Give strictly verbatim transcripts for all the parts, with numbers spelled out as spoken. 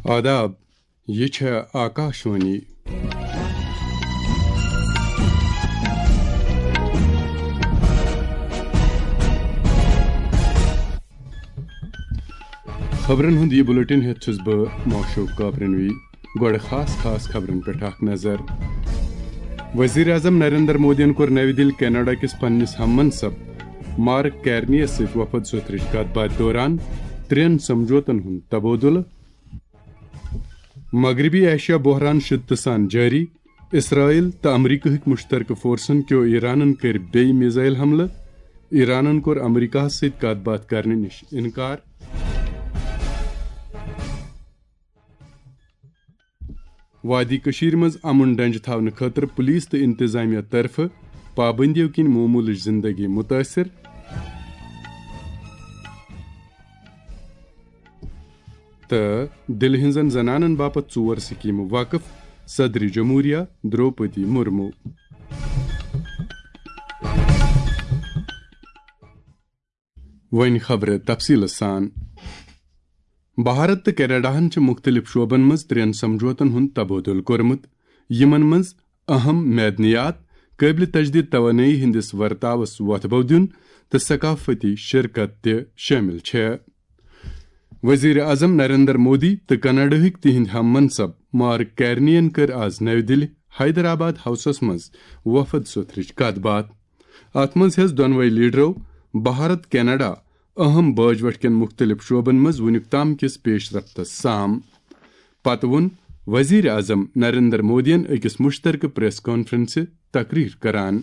آداب، یہِ چھےٚ آکاشوانی۔ خبرن ہُنٛد یہِ بُلٹن ہٮ۪تھ چھُس بہٕ معشوق کاپرنوی۔ گۄڈٕ خاص خاص خبرن پٮ۪ٹھ اکھ نظر۔ وزیر اعظم نریندر مودیَن کوٚر نَوِ دِلہِ کینیڈا کِس پننِس ہم منصب مارک کیرنیَس سۭتۍ وفد سوٚتھرٕچ کتھ باتھ دوران ترٛٮ۪ن سمجھوتن ہُنٛد تبادلہٕ۔ مغربی ایشیا بحران شدتہٕ سان جٲری۔ اسرائیل تہٕ امریکہٕکۍ مشترکہٕ فورسن کیو ایرانن کٔرۍ بیٚیہِ میزائل حملہٕ۔ ایرانن کوٚر امریکہس سۭتۍ کتھ باتھ کرنہٕ نِش انکار۔ وادی کٔشیٖرِ منٛز امن ڈنجہِ تھاونہٕ خٲطرٕ پولیس تہٕ انتظامیہ طرفہٕ پابندیو کِنۍ معمولٕچ زندگی متٲثر۔ تہٕ دِلہِ ہٕنٛزن زنانن باپتھ ژور سکیٖمہٕ وقف، صدر جمہوریہ دروپدی مرمو۔ وۄنۍ خبرٕ تفصیٖلہٕ سان۔ بھارت تہٕ کینیڈاہن چھِ مُختٔلِف شعبن منٛز ترٛٮ۪ن سمجھوتن ہُنٛد تبادلہٕ کوٚرمُت، یِمن منٛز اہم معدنیات، قٲبلِ تجدید توانٲیی ہٕنٛدِس ورتاوس وۄتھٕ بو دیُن تہٕ ثقافتی شرکت تہِ شٲمِل چھےٚ۔ وزیر اعظم نریندر مودی تہٕ کینیڈاہٕکۍ تِہنٛدۍ ہم منصب مارک کیرنین کٔر آز نَوِ دِلہِ حیدرآباد ہاؤسس منٛز وفد سوٚتھرٕچ کتھ باتھ۔ اتھ منٛز ہیٚژ دۄنوَے لیڈرو بھارت کینیڈا اہم باجوٹھ کٮ۪ن مُختٔلِف شعبن منٛز وُنیُک تام کِس پیش رفتس سام۔ پتہٕ ووٚن وزیر اعظم نریندر مودیَن أکِس مشترکہٕ پریس کانفرنسہِ تقریر کران۔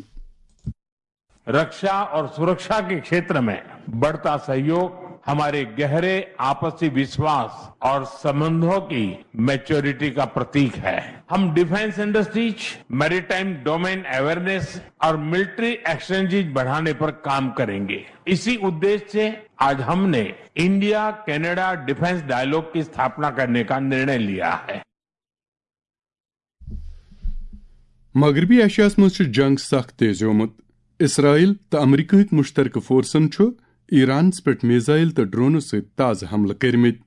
रक्षा और सुरक्षा के क्षेत्र में बढ़ता सहयोग हमारे गहरे आपसी विश्वास और संबंधों की मैच्योरिटी का प्रतीक है। हम defence industries, maritime domain awareness और मिलिट्री एक्सचेंजेस बढ़ाने पर काम करेंगे। इसी उद्देश्य से आज हमने इंडिया कनाडा डिफेंस डायलॉग की स्थापना करने का निर्णय लिया है। مغربی ایشیاہس منٛز چھُ جنگ سخ تیزیومُت۔ اسرائیل تہٕ امریکہٕکۍ مشترکہٕ فورسن چھُ ایرانس پٮ۪ٹھ میزائل تہٕ ڈرونو سۭتۍ تازٕ حملہٕ کٔرمٕتۍ۔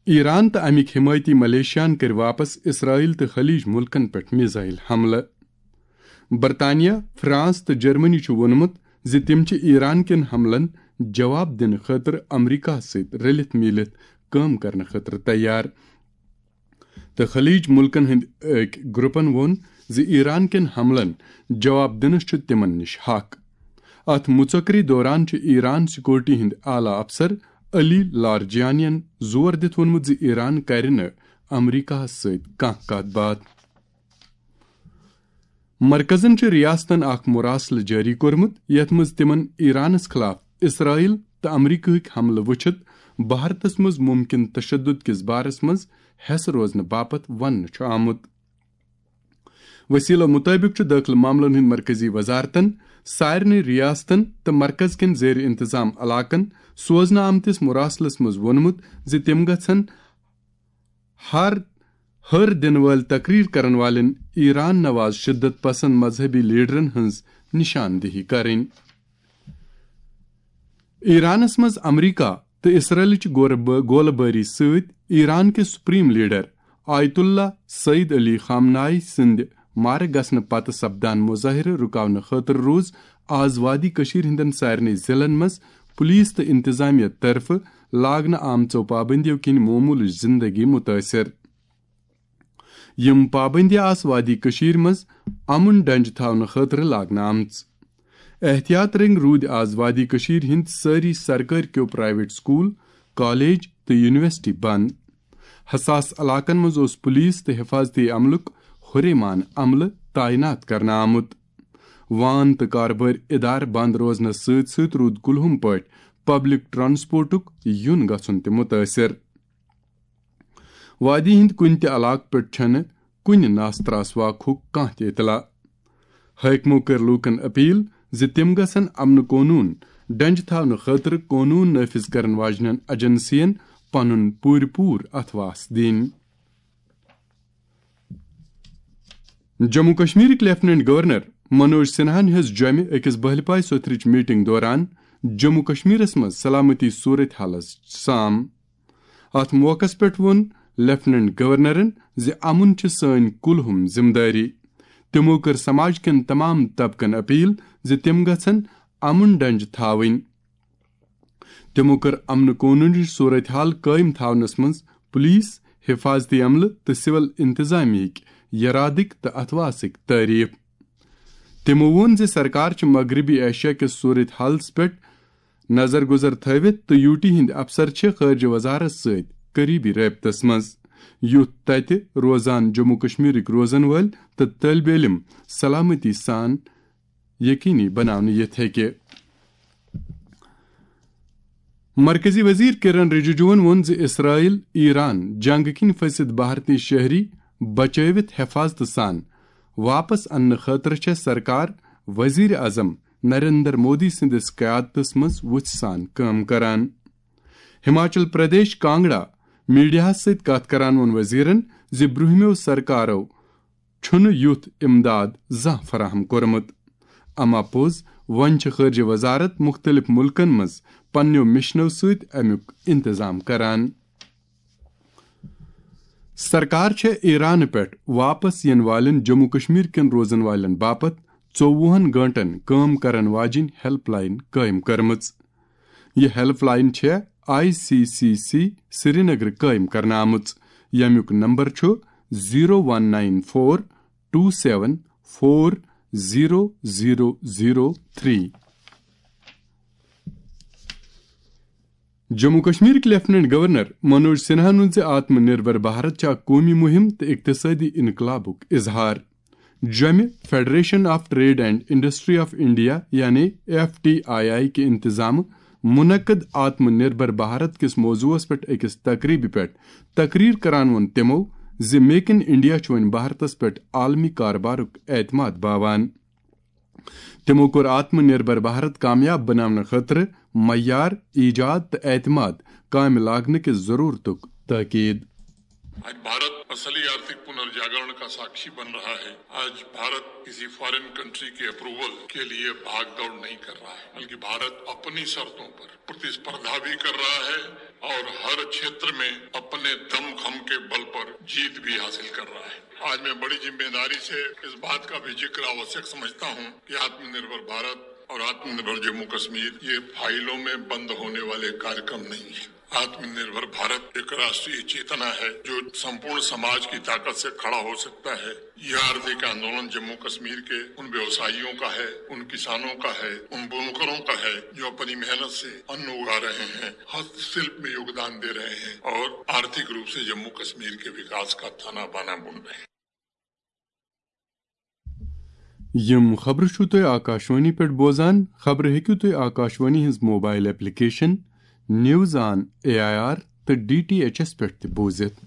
ایران تہٕ امیِکۍ حمایتی ملیشیاہن کٔرۍ واپس اسرائیل تہٕ خلیج ملکن پٮ۪ٹھ میزائل حملہٕ۔ برطانیہ، فرانس تہٕ جرمنی چھُ ووٚنمُت زِ تِم چھِ ایران کٮ۪ن حملن جواب دِنہٕ خٲطرٕ امریکہس سۭتۍ رٔلِتھ میٖلِتھ کٲم کرنہٕ خٲطرٕ تیار۔ تہٕ خلیج ملکن ہٕنٛدۍ أکۍ گروپن ووٚن زِ ایران کٮ۪ن حملن جواب دِنس چھُ تِمن نِش حق۔ اتھ مُژکری دوران چھُ ایران سیکورٹی ہٕنٛدۍ اعلیٰ افسر علی لارجانین زور دِتھ ووٚنمُت زِ ایران کرِ نہٕ امریکہس سۭتۍ کانٛہہ کتھ باتھ۔ مرکزن چھُ ریاستن اکھ مراسلہٕ جٲری کوٚرمُت، یتھ منٛز تِمن ایرانس خلاف اسرائیل تہٕ امریکہٕکۍ حملہٕ وٕچھِتھ بھارتس منٛز ممکن تشدد کِس بارس منٛز حیس روزنہٕ باپتھ وننہٕ چھُ آمُت۔ وسیلو مُطٲبِق چھُ دٲخلہٕ معاملن ہٕنٛدۍ مرکزی وزارتن سارنٕے ریاستن تہٕ مرکز کٮ۪ن زیر انتظام علاقن سوزنہٕ آمتِس مراسلس منٛز ووٚنمُت زِ تِم گژھن ہر ہر دِنہٕ وٲلۍ تقریر کرن والٮ۪ن ایران نواز شدت پسند مذہبی لیڈرن ہٕنٛز نشاندہی کرٕنۍ۔ ایرانس منٛز امریکہ تہٕ اسرائیلٕچ گورٕ بٲ-، گولہٕ بٲری سۭتۍ ایران کِس سپریم لیڈر آیت اللہ سعید علی خامنائی سٕنٛدِ مارٕ گژھنہٕ پتہٕ سپدان مظٲہرٕ رُکاونہٕ خٲطرٕ روٗز آز وادی کٔشیٖر ہٕنٛدٮ۪ن سارنٕے ضلعن منٛز پُلیٖس تہٕ انتظامیہ طرفہٕ لاگنہٕ آمژو پابندیو کِنۍ معموٗلٕچ زندگی متٲثر۔ یِم پابندی آسہٕ وادی کٔشیٖر منٛز امن ڈنجہِ تھاونہٕ خٲطرٕ لاگنہٕ آمژٕ۔ احتیاط رٔنگۍ روٗدۍ آز وادی کٔشیٖر ہٕنٛدۍ سٲری سرکٲرۍ کیو پرائیویٹ سکول، کالج تہٕ یونیورسٹی بند۔ حساس علاقن منٛز اوس پولیس تہٕ حفاظتی عملُک ہُریمان عملہٕ تعینات کرنہٕ آمُت۔ وان تہٕ کاربٲرۍ ادارٕ بند روزنس سۭتۍ سۭتۍ روٗد کُلہُم پٲٹھۍ پبلک ٹرانسپورٹُک یُن گژھُن تہِ متٲثر۔ وادی ہٕنٛدۍ کُنہِ تہِ علاقہٕ پٮ۪ٹھ چھنہٕ کُنہِ ناس تراس واقعُک کانٛہہ تہِ اطلاع۔ حٲکمو کٔر لوٗکن اپیل زِ تِم گژھن امن قونوٗن ڈنجہِ تھاونہٕ خٲطرٕ قونوٗن نافذ کرن واجنٮ۪ن ایجنسین پنُن پوٗرٕ پوٗرٕ اتھواس دِنۍ۔ جموں کشمیرٕکۍ لیفٹیننٹ گورنر منوج سنہاہن ہیٚژ جوٚمہِ أکِس بہلہِ پاے سوٚتھرٕچ میٹنگ دوران جموں کشمیرس منٛز سلامتی صورت حالس سام۔ اتھ موقعس پٮ۪ٹھ ووٚن لیفٹیننٹ گورنرن زِ امن چھِ سٲنۍ کلہم ذمہٕ دٲری۔ تِمو کٔر سماج کٮ۪ن تمام طبقن اپیل زِ تِم گژھن امن ڈنج تھاوٕنۍ۔ تِمو کٔر امن قونوٗنٕچ صورتحال قٲیِم تھاونس منٛز پولیس، حفاظتی عملہٕ تہٕ سول انتظامیہٕکۍ یرادٕکۍ تہٕ اتھواسٕکۍ تعریف۔ تِمو ووٚن زِ سرکار چھِ مغربی ایشیا کِس صورتحالس پٮ۪ٹھ نظر گزر تھٲوِتھ تہٕ یوٗ ٹی ہٕنٛدۍ افسر چھِ خارجہ وزارت سۭتۍ قریبی رٲبطس منٛز، یُتھ تتہِ روزان جموں کشمیرٕکۍ روزن وٲلۍ تہٕ طٲلب علم سلامتی سان یقینی بناونہٕ یِتھ ہیٚکہِ۔ مرکزی وزیر کرن رجیجوَن ووٚن زِ اسرائیل ایران جنگ کِنۍ پھٔسِتھ بھارتی شہری بچٲوِتھ حفاظتہٕ سان واپس اننہٕ خٲطرٕ چھےٚ سرکار وزیر اعظم نریندر مودی سٕنٛدِس قیادتس منٛز وُژھِ سان کٲم کران۔ ہماچل پردیش کانگڑا میڈیاہَس سۭتۍ کتھ کران ووٚن وزیرن زِ برٛونٛہمٮ۪و سرکارو چھُنہٕ یُتھ امداد زانٛہہ فراہم کوٚرمُت۔ اما پوٚز، وۄنۍ چھِ خارجہ وزارت مُختٔلِف مُلکن منٛز پننٮ۪و مشنو سۭتۍ امیُک انتظام کران۔ سرکار چھےٚ ایران پٮ۪ٹھ واپس یِنہٕ والٮ۪ن جموں کشمیر کٮ۪ن روزن والٮ۪ن باپتھ ژوٚوُہن گٲنٛٹن کٲم کرن واجِنۍ ہیلپ لائن قٲیِم کٔرمٕژ۔ یہِ ہیلپ لائن چھےٚ I C C C Srinagar قٲیِم کرنہٕ آمٕژ، ییٚمیُک نمبر چھُ zero one nine four two seven four zero zero zero three. Jammu کشمیرٕکۍ لیفٹیننٹ گورنر منوج سنہاہن ووٚن زِ آتم نربھر بھارت چھِ اکھ قومی مہم تہٕ اقتصٲدی انقلابُک اظہار۔ جوٚمہِ federation of trade and industry of India یعنی ایف ٹی آئی آئی کہِ انتظامہٕ منعقد آتم نربھر بھارت کِس موضوعس پٮ۪ٹھ أکِس تقریبہِ پٮ۪ٹھ تقریر کران ووٚن تِمو زِ میک ان انڈیا چھُ وۄنۍ بھارتس پٮ۪ٹھ عالمی کاربارُک اعتماد باوان۔ تِمو کوٚر آتم نربھر بھارت کامیاب بناونہٕ خٲطرٕ معیار، ایجاد تہٕ اعتماد کامہِ لاگنہٕ کِس ضرورتُک تاکید۔ आज भारत असली आर्थिक पुनर्जागरण का साक्षी बन रहा है। आज भारत किसी फॉरेन कंट्री के अप्रूवल के लिए भागदौड़ नहीं कर रहा है, बल्कि भारत अपनी शर्तों पर प्रतिस्पर्धा भी कर रहा है और हर क्षेत्र में अपने दमखम के बल पर जीत भी हासिल कर रहा है। आज मैं बड़ी जिम्मेदारी से इस बात का भी जिक्र आवश्यक समझता हूं कि आत्मनिर्भर भारत और आत्मनिर्भर जम्मू कश्मीर ये फाइलों में बंद होने वाले कार्यक्रम नहीं है। आत्मनिर्भर भारत एक राष्ट्रीय चेतना है जो संपूर्ण समाज की ताकत से खड़ा हो सकता है। यह आर्थिक आंदोलन जम्मू कश्मीर के उन व्यवसायियों का है, उन किसानों का है, उन बुनकरों का है जो अपनी मेहनत से अन्न उगा रहे हैं, हस्तशिल्प में योगदान दे रहे हैं और आर्थिक रूप से जम्मू कश्मीर के विकास का ताना बाना बुन रहे हैं। یِم خبرٕ چھِو تُہۍ آکاشوانی پٮ۪ٹھ بوزان۔ خبرٕ ہیٚکِو تُہۍ آکاشوانی ہٕنٛز mobile application news on A I R تہٕ ڈی ٹی ایچ ایس پٮ۪ٹھ تہِ بوٗزِتھ۔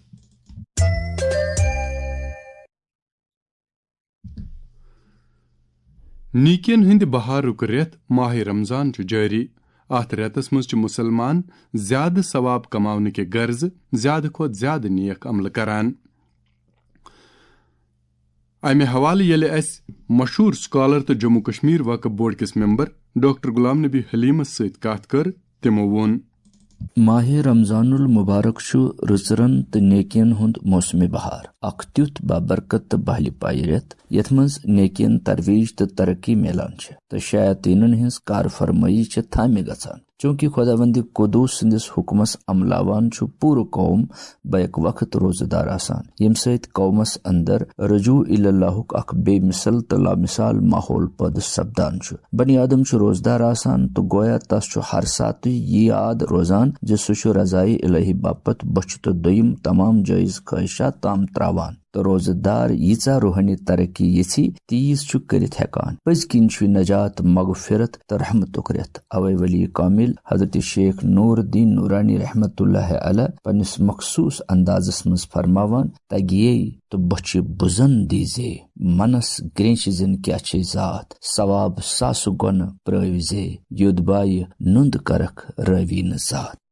نیکین ہٕنٛدِ بہارُک رٮ۪تھ ماہِ رمضان چھُ جٲری۔ اَتھ رٮ۪تس منٛز چھِ مُسلمان زیادٕ ثواب کماونہٕ کہِ غرضہٕ زیادٕ کھۄتہٕ زیادٕ نیک عملہٕ کران۔ امہِ حوالہٕ ییٚلہِ اسہِ مشہوٗر سکالر تہٕ جموں کشمیر وقف بورڈ کِس ممبر ڈاکٹر غلام نبی حلیمس سۭتۍ کتھ کٔر، تِمو ووٚن۔ ماہِ رمضان المبارک چھُ رٕژرن تہٕ نیکین ہُنٛد موسمِ بہار، اکھ تیُتھ بابرکت تہٕ بہلہِ پایہِ رٮ۪تھ، یتھ منٛز نیکین ترویج تہٕ ترقی میلان چھِ تہٕ شیاطینن ہٕنٛز کار فرمٲیی چھِ تھامہِ گژھان۔ چونکہ خداوند قدوس سٕنٛدِس حکمس عملاوان چھُ پوٗرٕ قوم بیک وقت روزٕ دار آسان، ییٚمہِ سۭتۍ قومس اندر رجوع الی اللہُک اکھ بے مثل تہٕ لامثال ماحول پٲدٕ سپدان چھُ۔ بنی آدم چھُ روزٕ دار آسان تہٕ گویا تس چھُ ہر ساتہٕ یہِ یاد روزان زِ سُہ چھُ رضایہِ الہی باپتھ بۄچھِ تہٕ دوٚیِم تمام جٲیز خٲہشات تام تراوان۔ تہٕ روزٕ دار ییٖژاہ روحٲنی ترقی یژھِ، تیٖژ چھُ کٔرِتھ ہٮ۪کان۔ پٔزۍ کِنۍ چھُ نجات، مغفرت تہٕ رحمتُک رٮ۪تھ۔ اوے ولی کامل حضرت شیخ نور الدین نورانی رحمت اللہ علیہ پننِس مخصوص اندازس منٛز فرماوان، تگیے تہٕ بۄچھِ بُزن دیٖزے، منس گرینچ زن کیاہ چھے ذات، ثواب ساسہٕ گۄنہٕ پرٲوزے، یوٚد بایہِ نُند کرکھ رٲوی نہٕ ذات۔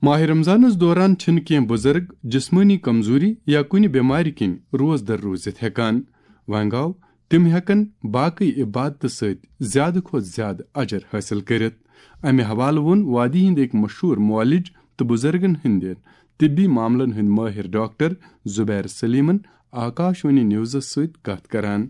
ماہِ رمضانس دوران چھِنہٕ کینٛہہ بُزرگ جسمٲنی کمزوری یا کُنہِ بٮ۪مارِ کِنۍ روزدر روٗزِتھ ہٮ۪کان۔ وۄنۍ گوٚو، تِم ہٮ۪کن باقٕے عبادتہٕ سۭتۍ زیادٕ کھۄتہٕ زیادٕ اجر حٲصِل کٔرِتھ۔ امہِ حوالہٕ ووٚن وادی ہٕنٛدۍ أکۍ مشہوٗر معالج بُزرگن ہٕنٛدٮ۪ن طبی معاملن ہٕنٛدۍ مٲہِر ڈاکٹر زبیر سلیمن آکاشوانی نیوزس سۭتۍ کتھ کران۔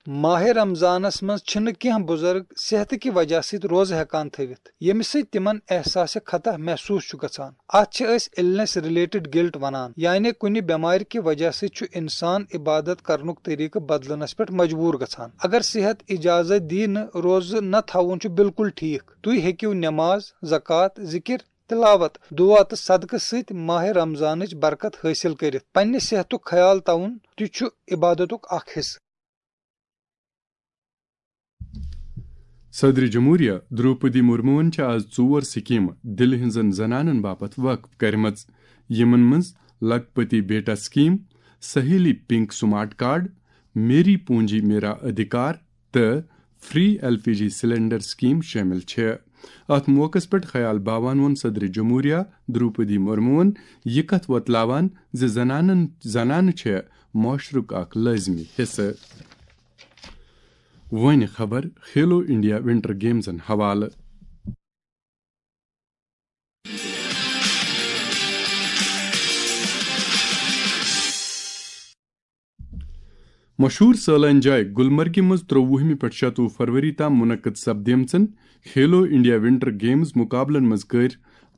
ماہِ رمضانس منٛز چھِنہٕ کینٛہہ بُزرگ صحتہٕ کہِ وجہ سۭتۍ روزٕ ہٮ۪کان تھٲوِتھ، ییٚمہِ سۭتۍ تِمن احساسِ خطا محسوٗس چھُ گژھان۔ اتھ چھِ أسۍ النس ریلیٹڈ گلٹ ونان، یعنی کُنہِ بٮ۪مارِ کہِ وجہ سۭتۍ چھُ انسان عبادت کرنُک طریقہٕ بدلنس پٮ۪ٹھ مجبوٗر گژھان۔ اگر صحت اجازت دی نہٕ، روزٕ نہ تھاوُن چھُ بالکل ٹھیک۔ تُہۍ ہیٚکِو نماز، زکوٰۃ، ذکر، تلاوت، دعا تہٕ صدقہٕ سۭتۍ ماہِ رمضانٕچ برکت حٲصِل کٔرِتھ۔ پننہِ صحتُک خیال تھاوُن تہِ چھُ عبادتُک اکھ حصہٕ۔ صدر جمہوریہ دروپدی مرموہن چھِ آز ژور سکیمہٕ دِلہِ ہٕنٛزن زنانن باپتھ وقف کرِمژٕ، یِمن منٛز لکھپتی بیٹا سکیم، سہیلی پنک سمارٹ کارڈ، میری پونجی میرا ادھیکار تہٕ free L P G cylinder scheme شٲمِل چھِ۔ اتھ موقعس پٮ۪ٹھ خیال باوان ووٚن صدر جمہوریہ دروپدی مرموہن یہِ کتھ وۄتلاوان زِ زنانن، زنانہٕ چھےٚ معاشرُک اکھ لٲزمی حصہٕ۔ وۄنۍ خبر کھیلو انڈیا ونٹر گیمزن حوالہٕ۔ مشہوٗر سٲلٲنۍ جاے گلمرگہِ منٛز ترٛۆوُہمہِ پٮ۪ٹھ شَتوُہ فروری تام منعقد سپدیمژن کھیلو انڈیا ونٹر گیمز مقابلن منٛز کٔرۍ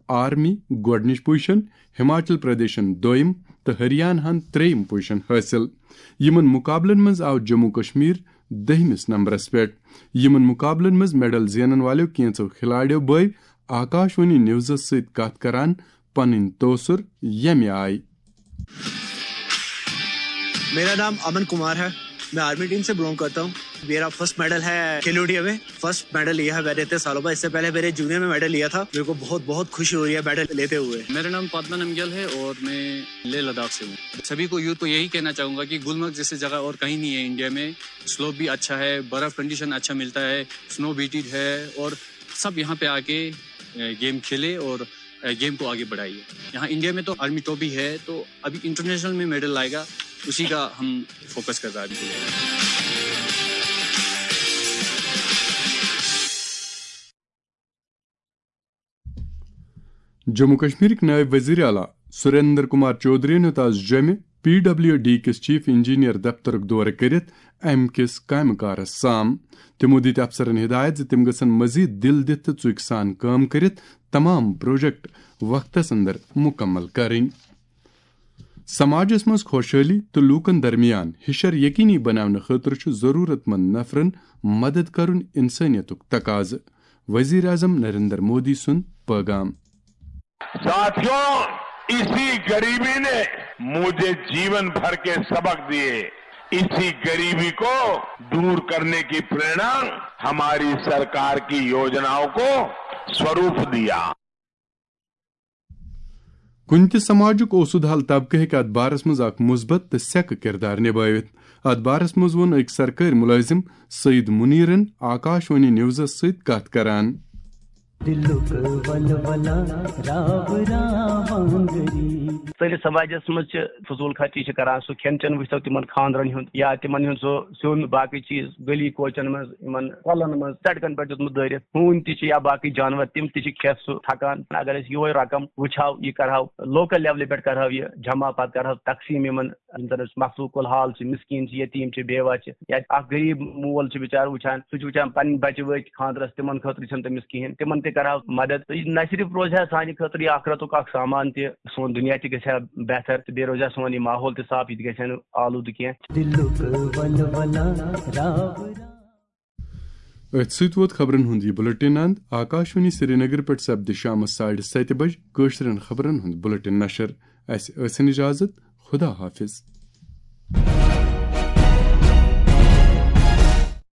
آرمی گۄڈٕنِچ پوزیشن، ہماچل پردیشن دوٚیِم تہٕ ہریاناہن ترٛیٚیِم پوزیشن حٲصِل۔ یِمن مقابلن منٛز آو جموں کشمیر دٔہمِس نمبرس پٮ۪ٹھ۔ یِمن مقابلن منٛز میڈل زینن والٮ۪و کینٛژو کھلاڑیو بٲوۍ آکاشوانی نیوزس سۭتۍ کتھ کران پنٕنۍ تٲثر ییٚمہِ آیہِ۔ मेरा नाम अमन कुमार है। मैं आर्मी टीम से बिलोंग करता हूँ। मेरा फर्स्ट मेडल है खेलो इंडिया में। फर्स्ट मेडल लिया है मैंने इतने सालों बाद। इससे पहले मैंने जूनियर में मेडल लिया था। मेरे को बहुत बहुत खुशी हो रही है मेडल लेते हुए। मेरा नाम पद्मा नमग्याल है और मैं लेह लद्दाख से हूँ। सभी को, यूथ को यही कहना चाहूँगा कि गुलमर्ग जैसी जगह और कहीं नहीं है इंडिया में। स्लोप भी अच्छा है, बर्फ कंडीशन अच्छा मिलता है, स्नो बीटेड है और सब यहाँ पे आके गेम खेले और गेम को आगे बढ़ाइए। यहाँ इंडिया में तो आर्मी ट्रॉफी है, तो अभी इंटरनेशनल में मेडल लाएगा, उसी का हम फोकस कर रहा है अभी। جموں کشمیرٕکۍ نٲیِب وزیر اعلیٰ سریندر کمار چودھرین ہیوٚت آز جوٚمہِ پی ڈبلیو ڈی کِس چیف انجینئر دفترُک دورٕ کٔرِتھ امہِ کِس کامہِ کارس سام۔ تِمو دِتۍ افسرن ہدایت زِ تِم گژھن مزید دِل دِتھ تہٕ ژُکۍ سان کٲم کٔرِتھ تمام پروجیکٹ وقتس اندر مکمل کرٕنۍ۔ سماجس منٛز خۄشحٲلی تہٕ لوٗکن درمیان ہِشر یقینی بناونہٕ خٲطرٕ چھُ ضروٗرت مند نفرن مدد کرُن انسٲنیتُک تقاضہٕ، وزیر اعظم نریندر مودی سُنٛد پٲغام۔ साथियों, इसी गरीबी ने मुझे जीवन भर के सबक दिए। इसी गरीबी को दूर करने की प्रेरणा हमारी सरकार की योजनाओं को स्वरूप दिया। کُنہِ تہِ سماجُک اوسُد حال طبقہٕ ہیٚکہِ اتھ بارس منٛز اکھ مثبت تہٕ سیٚکہٕ کردار نبٲوِتھ۔ اتھ بارس منٛز ووٚن أکۍ سرکٲرۍ مُلٲزِم سعید منیرن آکاشوانی نیوزس سۭتۍ کتھ کران۔ دلُک ولولہ راو راوانگری۔ سٲنِس سماجس منٛز چھِ فضوٗل خرچی چھِ کران، سُہ کھٮ۪ن چٮ۪ن وٕچھتو تِمن خانٛدرن ہُنٛد یا تِمن ہُنٛد سُہ سیُن، باقٕے چیٖز، گلی کوچن منٛز، یِمن کۄلن منٛز، سڑکن پٮ۪ٹھ دیُتمُت دٲرِتھ، ہوٗنۍ تہِ چھِ یا باقٕے جانور، تِم تہِ چھِ کھٮ۪تھ سُہ تھکان۔ اگر أسۍ یِہوے رقم وٕچھہو، یہِ کرہو لوکل لیولہِ پٮ۪ٹھ کرہو یہِ جمع، پتہٕ کرہو تقسیٖم یِمن یِم زن أسۍ مخلوق الحال چھِ، مسکین چھِ، یتیٖم چھِ، بیوہ چھِ، یا اکھ غریب مول چھُ بِچارٕ وٕچھان، سُہ چھُ وٕچھان پنٕنۍ بچہِ وٲتۍ خانٛدرس، تِمن خٲطرٕ چھنہٕ تٔمِس کِہینۍ، تِمن تہِ کرہو مدد۔ تہٕ یہِ نہ صرف روزِ ہا سانہِ خٲطرٕ یہِ آخرتُک اکھ سامان تہِ، سون دُنیا تہِ گژھِ ہا بہتر، تہٕ بیٚیہِ روزِ ہا سون یہِ ماحول تہِ صاف، یہِ تہِ گژھِ ہا نہٕ آلودٕ کینٛہہ۔ دِلُک ولولہ راو راو۔ أتھۍ سۭتۍ ووت خبرن ہُنٛد یہِ بُلٹن اند۔ آکاشوانی سرینگر پٮ۪ٹھ سپدِ شامس ساڑِ ستہِ بجہِ کٲشرٮ۪ن خبرن ہُنٛد بُلٹن نشر۔ اسہِ ٲسِن اجازت۔ خدا حافظ۔